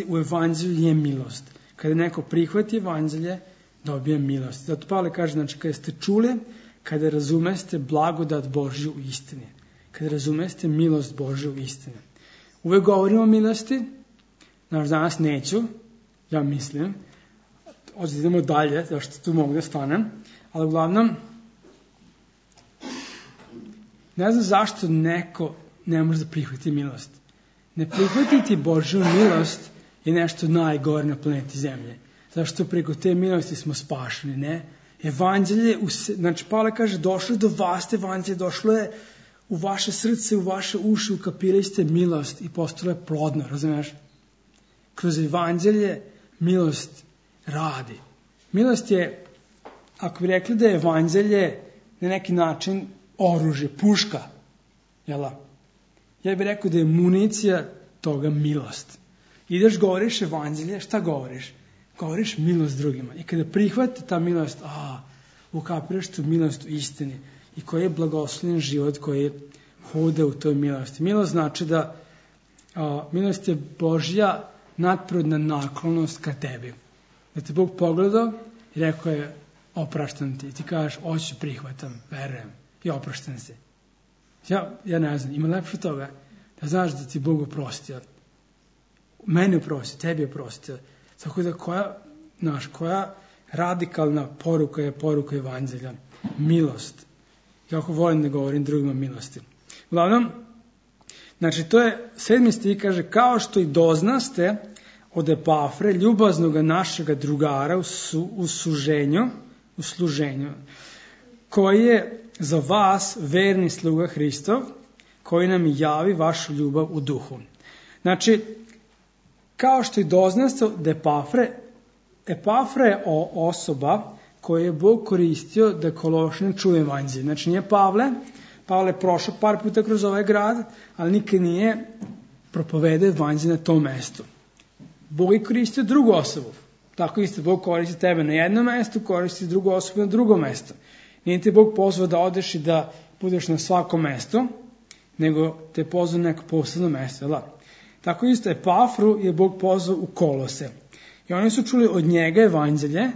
U evanđelju je milost. Kada neko prihvati evanđelje, dobija milost. Zato Pavle kaže, znači, kada ste čuli, kada razumeste blagodat Božju u istini, kada razumeste milost Božju u istini. Uvek govorimo o milosti, znači danas neću, ja mislim, idemo dalje, zašto tu mogu da stanem, ali uglavnom, ne znam zašto neko ne može da prihvati milost. Ne prihvatiti Božju milost je nešto najgore na planeti Zemlje. Zašto preko te milosti smo spašeni, ne? Evanđelje, znači Pavle kaže, došlo je do vas, evanđelje, došlo je u vaše srce, u vaše uši, ukapirali ste milost i postalo je plodno, razumiješ? Kroz evanđelje milost radi. Milost je, ako bi rekli da je evanđelje na neki način oružje, puška, jel? Ja bih rekao da je municija toga milost. Ideš, govoriš evanđelje, šta govoriš? Govoriš milost drugima. I kada prihvate ta milost, ukapiraš tu milost u istini i koji je blagoslovljen život koji hode u toj milosti. Milost znači da milost je Božja nadprirodna naklonost ka tebi. Da te Bog pogledao i rekao je, opraštam ti. I ti kažeš, hoću, prihvatam, verujem i opraštam se. Ja ne znam, ima lepše toga da znaš da ti Bog oprostio. Meni oprostio, tebi oprostio. Tako da koja radikalna poruka je poruka evanđelja? Milost. Jako volim da govorim drugima milosti. Uglavnom, znači to je 7. stih, kaže, kao što i doznaste od Epafre, ljubaznoga našega drugara u služenju, koji je za vas verni sluga Hristov, koji nam javi vašu ljubav u duhu. Znači, kao što i doznaste od Epafra je osoba koju je Bog koristio da Kološane čuje evanđelje. Znači nije Pavle je prošao par puta kroz ovaj grad, ali nikad nije propovedao evanđelje na tom mestu. Bog je koristio drugu osobu. Tako isto Bog koristi tebe na jednom mestu, koristi drugu osobu na drugom mestu. Nije te Bog pozvao da odeš i da budeš na svakom mestu, nego te pozvao na neko posebno mesto. Tako isto Epafru je Bog pozvao u Kolose. I oni su čuli od njega evanđelje,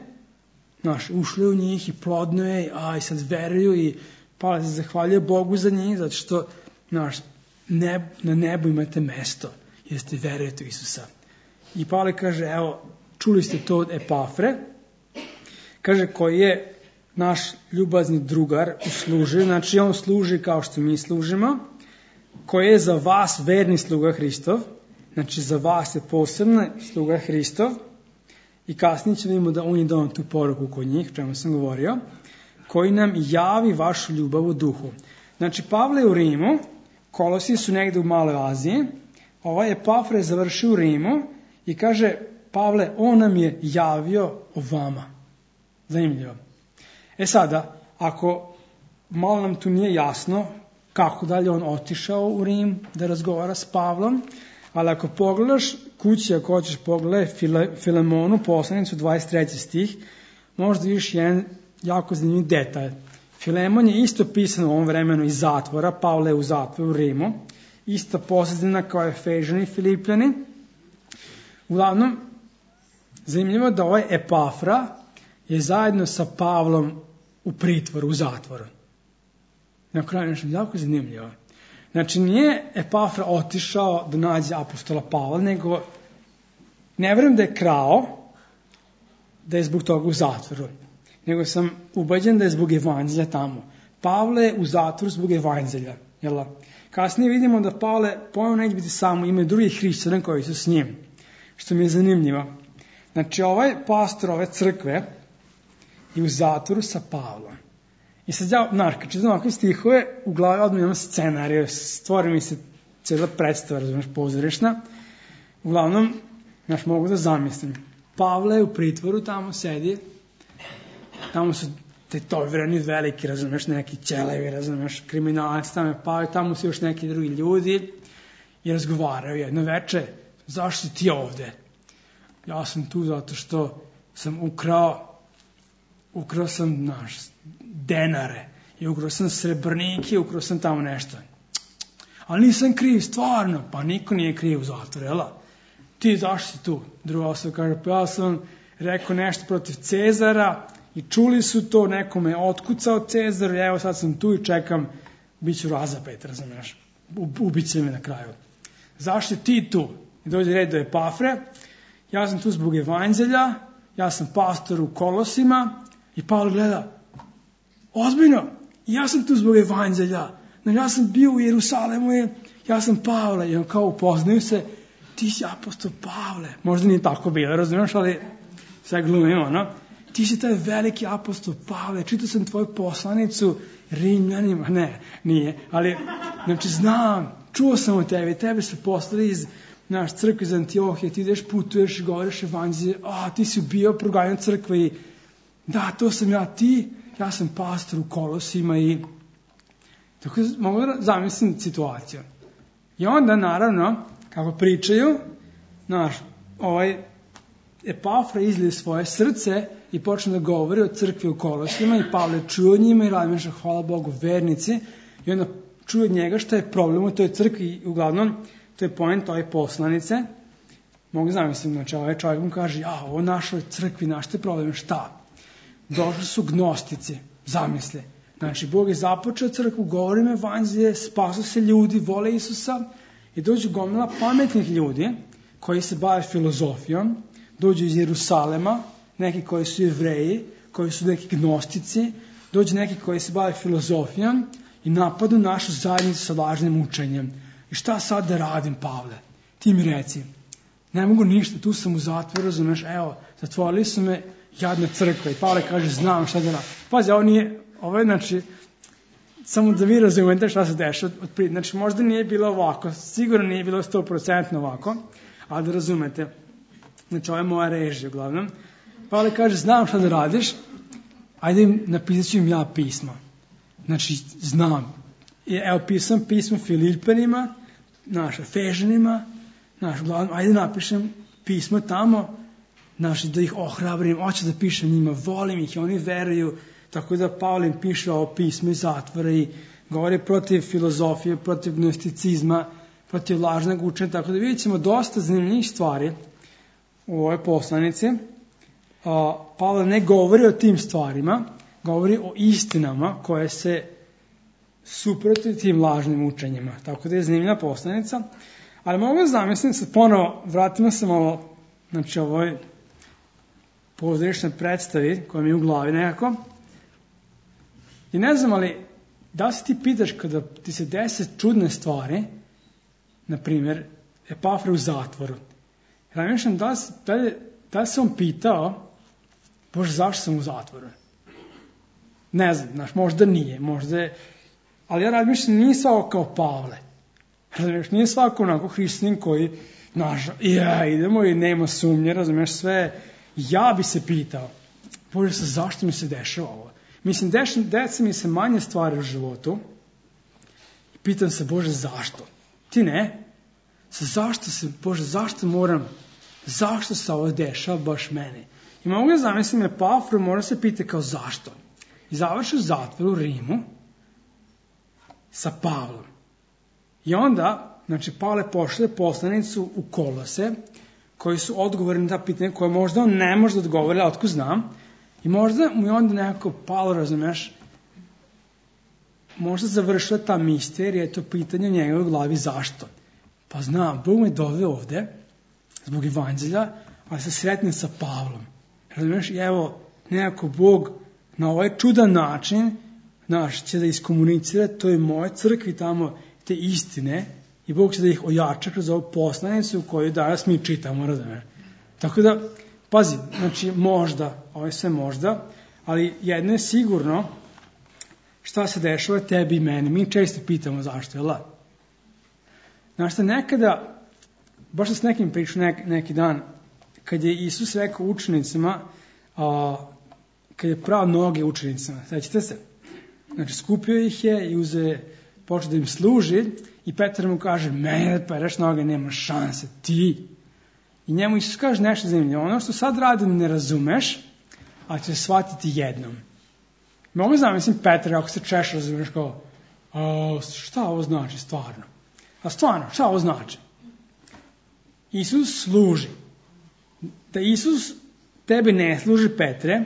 ušli u njih i plodno je, i sad veruju i Pavle se zahvaljuje Bogu za njih, zato što na nebu imate mesto, jer ste verujete u Isusa. I Pavle kaže, evo, čuli ste to od Epafre, kaže, koji je naš ljubazni drugar u služenju, znači on služi kao što mi služimo, koji je za vas verni sluga Hristov, znači za vas je posebno sluga Hristov, i kasnije ćemo vidimo da on je dao tu poruku kod njih, čemu sam govorio, koji nam javi vašu ljubav u duhu. Znači, Pavle je u Rimu, Kolosi su negdje u Maloj Aziji, ovaj Epafra je završio u Rimu i kaže, Pavle, on nam je javio o vama. Zanimljivo. Sada, ako malo nam tu nije jasno kako dalje on otišao u Rim da razgovara s Pavlom, ali ako pogledaš kući, ako hoćeš pogledaj Filemonu, poslanicu 23. stih, možda vidiš jedan jako zanimljiv detalj. Filemon je isto pisan u ovom vremenu iz zatvora, Pavle je u zatvoru u Rimu, ista pozadina kao Efežani i Filipljani. Uglavnom, zanimljivo da ovaj Epafra je zajedno sa Pavlom u pritvoru, u zatvoru. Na kraju nešto jako zanimljivo. Znači, nije Epafra otišao da nađe apostola Pavla, nego ne vjerujem da je krao, da je zbog toga u zatvoru, nego sam ubeđen da je zbog evanđelja tamo. Pavle je u zatvoru zbog evanđelja. Kasnije vidimo da Pavle ponovno neće biti samo, ima drugih hrišćana koji su s njim, što mi je zanimljivo. Znači, ovaj pastor ove crkve je u zatvoru sa Pavlom. I sad kad čitam ovakve stihove, u glavi odmah imam scenariju, stvori mi se cijela predstava, razumiješ, pozorišna. Uglavnom, mogu da zamislim. Pavle je u pritvoru, tamo sedi, tamo su tetovirani veliki, razumiješ, neki ćelevi, razumiješ, kriminalac, tamo su još neki drugi ljudi i razgovaraju jedno veče, zašto si ti ovde? Ja sam tu zato što sam ukrao sam denare i ukrao sam srebrnike, ukrao sam tamo nešto. Ali nisam kriv, stvarno. Pa niko nije kriv u zatvoru, jel? Ti zašto si tu? Druga osoba kaže, pa ja sam rekao nešto protiv Cezara i čuli su to, nekome otkucao Cezar i evo sad sam tu i čekam, bit ću razapet, razumiješ, ubiće me na kraju. Zašto ti tu? I dođe red do Epafre, ja sam tu zbog evanđelja, ja sam pastor u Kolosima i Pavle gleda, ozbiljno, ja sam tu zbog evanđelja, ja sam bio u Jerusalemu, ja sam Pavle, i on kao upoznaju se, ti si apostol Pavle, možda nije tako bilo, razumiješ, ali sve glumimo, no? Ti si taj veliki apostol Pavle, čitao sam tvoju poslanicu Rimljanima, ne, nije, ali, znači znam, čuo sam o tebi, tebe su poslali iz naš crkve iz Antiohije, ti ideš, putuješ, govoriš evanđelje, ti si bio proganjan crkve i da, to sam ja sam pastor u Kolosima i tako mogu da zamislim situaciju. I onda, naravno, kako pričaju, Epafra izlije svoje srce i počne da govori o crkvi u Kolosima i Pavle čuje od njima i razmišlja, hvala Bogu, vernici, i onda čuje od njega šta je problem u toj crkvi i uglavnom to je point ove poslanice. Mogu zamisliti, znači ovaj čovjek mu kaže, ovo našoj crkvi, naš te problem, šta? Došli su gnostici, zamisle. Znači, Bog je započeo crkvu, govorim evanđelje, spasu se ljudi, vole Isusa i dođu gomila pametnih ljudi koji se bave filozofijom, dođu iz Jerusalema, neki koji su Jevreji, koji su neki gnostici, dođu neki koji se bave filozofijom i napadu našu zajednicu sa lažnim učenjem. I šta sad da radim, Pavle? Ti mi reci. Ne mogu ništa, tu sam u zatvoru, razumeš, evo, zatvorili su me, jadna crkva. I Pavle kaže, znam šta da radim. Pazi, ovo je, znači, samo da vi razumete šta se dešava. Znači, možda nije bilo ovako, sigurno nije bilo 100% ovako, ali da razumete. Znači, ovo je moja režija, uglavnom. Pavle kaže, znam šta da radiš, ajde napisat ću im ja pisma. Znači, znam. Evo, pisam pismo Filipanima, Efežanima, uglavnom, ajde napišem pismo tamo, da ih ohrabrim, hoću da pišem njima, volim ih i oni veruju, tako da Pavle im piše ovo pismo iz zatvora i govori protiv filozofije, protiv gnosticizma, protiv lažnog učenja, tako da vidjet ćemo dosta zanimljivih stvari u ovoj poslanici. Pavle ne govori o tim stvarima, govori o istinama koje se suprotstavljaju tim lažnim učenjima. Tako da je zanimljiva poslanica. Ali mogu zamisliti se ponovo, vratimo se malo, znači ovoj pozorišnoj predstavi koja mi je u glavi nekako. I ne znam, ali da se ti pitaš kada ti se dese čudne stvari, na primjer, Epafra u zatvoru. Razmišljam, da li se on pitao, Bože, zašto sam u zatvoru? Ne znam, možda nije, ali ja razmišljam, nije svako kao Pavle. Razumiješ, nije svako onako hrišćanin koji, idemo i nema sumnje, razumiješ sve. Ja bi se pitao, Bože, zašto mi se dešava ovo? Mislim, desi mi se manje stvari u životu i pitam se, Bože, zašto? Ti ne? Bože, zašto se ovo dešava baš meni? I mogu zamisliti Epafru, mora se pitati kao zašto. I završi u zatvoru u Rimu sa Pavlom. I onda, znači, Pavle pošle poslanicu u Kolose, koji su odgovorni na ta pitanja koje možda on ne može da odgovori, ali otko znam. I možda mu je onda nekako Pavle, razumeš, možda završila ta misterija, je to pitanje u njegovoj glavi zašto. Pa znam, Bog me doveo ovde, zbog evanđelja, ali se sretnem sa Pavlom. Razumeš, i evo, nekako Bog na ovaj čudan način, će da iskomunicira toj moje crkvi tamo te istine i Bog će da ih ojača kroz ovu poslanicu koju danas mi čitamo, razumeš. Tako da, pazi, znači možda, ovo je sve možda, ali jedno je sigurno šta se dešava tebi i meni. Mi često pitamo zašto, jel da? Znaš šta, nekada, baš sam s nekim pričao neki dan, kad je Isus rekao učenicima, kad je prao noge učenicima, sećate se? Znači, skupio ih je i počeo da im služi i Petar mu kaže, mene da pereš noge, nema šanse, ti. I njemu Isus kaže nešto zanimljivo, ono što sad radim ne razumeš, a ćeš shvatiti jednom. Mogu zamislim Petar, ako se češ razumeš kao, šta ovo znači stvarno? A stvarno, šta ovo znači? Isus služi. Da Isus tebi ne služi, Petre,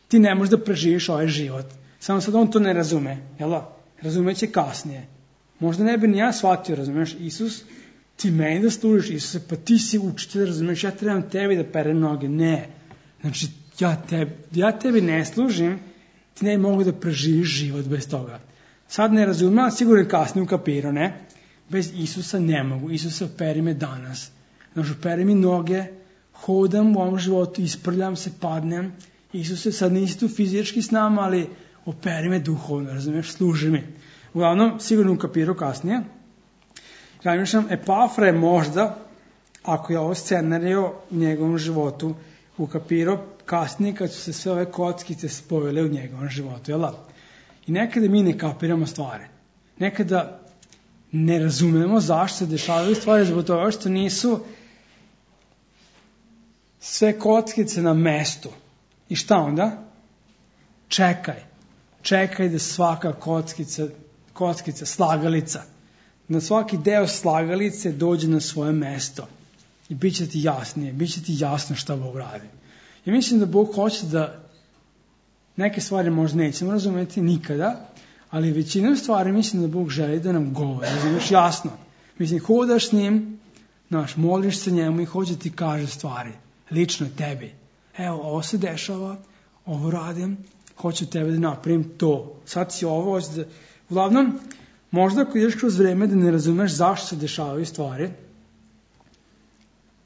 ti ne možeš da preživiš ovaj život. Samo sad on to ne razume, jel da? Razumeće kasnije. Možda ne bi ni ja shvatio, razumeš, Isus, ti meni da služiš, Isuse, pa ti si učitelj, razumeš, ja trebam tebi da perem noge. Ne, znači, ja tebi ne služim, ti ne mogu da preživiš život bez toga. Sad ne razumem, ali sigurno kasnije ukapirao, ne? Bez Isusa ne mogu. Isusa, operi me danas. Znači, operi mi noge, hodam u ovom životu, isprljam se, padnem. Isuse, sad nisi tu fizički s nama, ali operi me duhovno, razumiješ, služi mi. Uglavnom, sigurno ukapirao kasnije. Razmišljam, Epafra je možda, ako je ovo scenario u njegovom životu, ukapirao kasnije kad su se sve ove kockice spojile u njegovom životu, jel da? I nekada mi ne kapiramo stvari. Nekada ne razumemo zašto se dešavaju stvari zbog toga što nisu sve kockice na mestu. I šta onda? Čekaj da svaka kockica, slagalica, da svaki deo slagalice dođe na svoje mesto. I bit će ti jasnije, bit će ti jasno šta Bog radi. I mislim da Bog hoće da neke stvari možda nećemo razumeti nikada, ali većinom stvari mislim da Bog želi da nam govori. Razumiješ jasno. Mislim, hodaš s njim, moliš se njemu i hoće ti kaže stvari. Lično tebi. Evo, ovo se dešava, ovo radim, hoću tebe da napravim to. Sad si ovo, uglavnom, možda ako ideš kroz vreme da ne razumeš zašto se dešavaju stvari,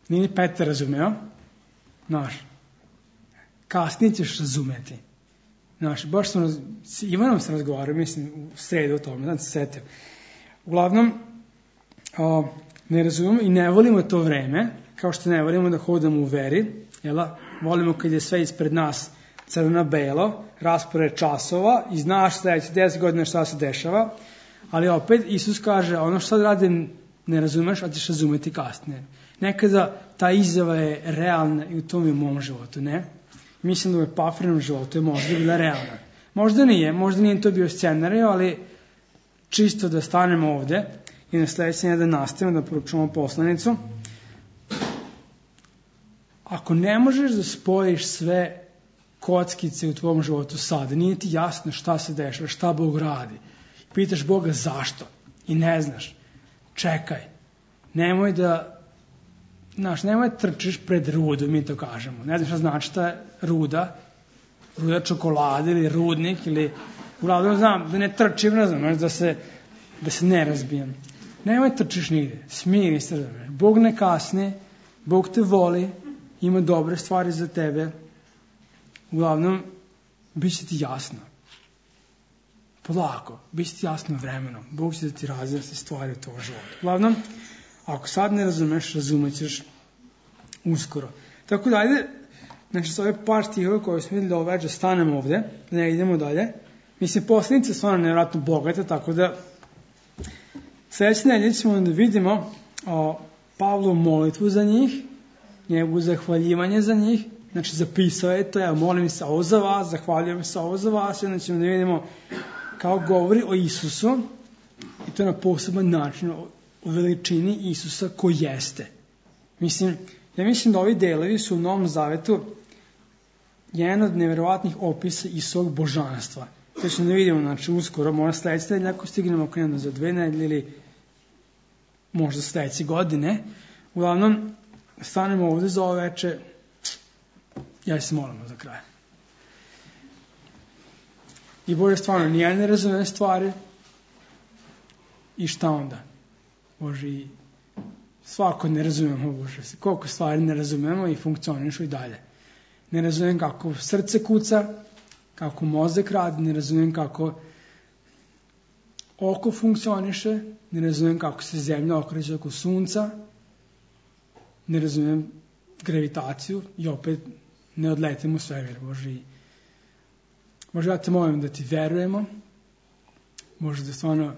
nije ni Petar razumeo, kasnije ćeš razumeti. Baš sam s Ivanom se razgovarao, mislim, u sredu o tome, da se setio. Uglavnom, ne razumemo i ne volimo to vreme, kao što ne volimo da hodamo u veri, jela? Volimo kad je sve ispred nas crno-belo, raspored časova i znaš sledeći 10 godina šta se dešava, ali opet Isus kaže, ono što sad radim ne razumeš, a ćeš razumeti kasnije. Nekada ta izjava je realna i u tom je u mom životu, ne? Mislim da u Epafrinom životu je možda bila realna. Možda nije to bio scenario, ali čisto da stanemo ovde i na sledeće da nastavimo da poručujemo poslanicu. Ako ne možeš da spojiš sve kockice u tvom životu sada, nije ti jasno šta se dešava, šta Bog radi, pitaš Boga zašto i ne znaš, čekaj, nemoj da trčiš pred rudu, mi to kažemo. Ne znam šta znači ta ruda čokolade ili rudnik ili uglavnom znam da ne trčim, da se ne razbijem. Nemoj trčiš nigde, smiri se, Bog ne kasne, Bog te voli, ima dobre stvari za tebe. Uglavnom, bit će ti jasno. Polako, bit će ti jasno vremenom. Bog će da ti razjasni stvari u tvojom životu. Uglavnom, ako sad ne razumeš, razumećeš uskoro. Tako da, ajde, znači s ove par stihova koje smo vidjeli već da stanemo ovde, da ne idemo dalje. Mislim, poslanica je stvarno nevjerojatno bogata, tako da sledeće nedelje ćemo da vidimo Pavlovu molitvu za njih, njegovu zahvaljivanje za njih, znači zapisao je to, ja molim se ovo za vas, zahvaljujem se ovo za vas, i onda ćemo da vidimo kao govori o Isusu, i to na poseban način, o veličini Isusa ko jeste. Ja mislim da ovi delovi su u Novom Zavetu jedan od nevjerovatnih opisa Isusovog božanstva. To ćemo da vidimo, znači uskoro, možda sledeće nedelje, ako stignemo krenuti za 2 nedelje ili možda sledeće godine. Uglavnom, stanemo ovde za ovo veče, ja se molimo za kraj. I Bože, stvarno, nije ne razumem stvari. I šta onda? Bože, i svako ne razumemo, Bože. Koliko stvari ne razumemo i funkcionišu i dalje. Ne razumem kako srce kuca, kako mozak radi, ne razumem kako oko funkcioniše, ne razumem kako se zemlja okreće oko sunca, ne razumem gravitaciju i opet ne odletimo u svemir, Bože. Bože, ja te molim da ti verujemo, Bože, da stvarno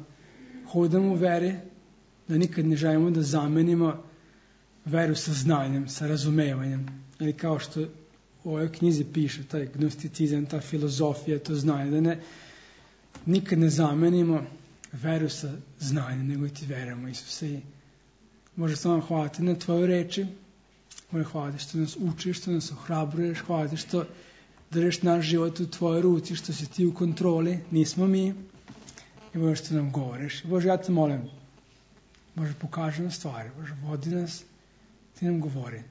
hodamo u veri, da nikad ne želimo da zamenimo veru sa znanjem, sa razumevanjem. Ili kao što u ovoj knjizi piše, taj gnosticizam, ta filozofija, to znanje, da nikad ne zamenimo veru sa znanjem, nego ti verujemo, Isuse. I Bože, stvarno hvala ti na tvoje reči, Bože, hvala ti što nas učiš, što nas ohrabruješ, hvala ti što držiš naš život u tvojoj ruci, što si ti u kontroli, nismo mi. I Bože, što nam govoriš. Bože, ja te molim, Bože, pokaži nam stvari, Bože, vodi nas, ti nam govori.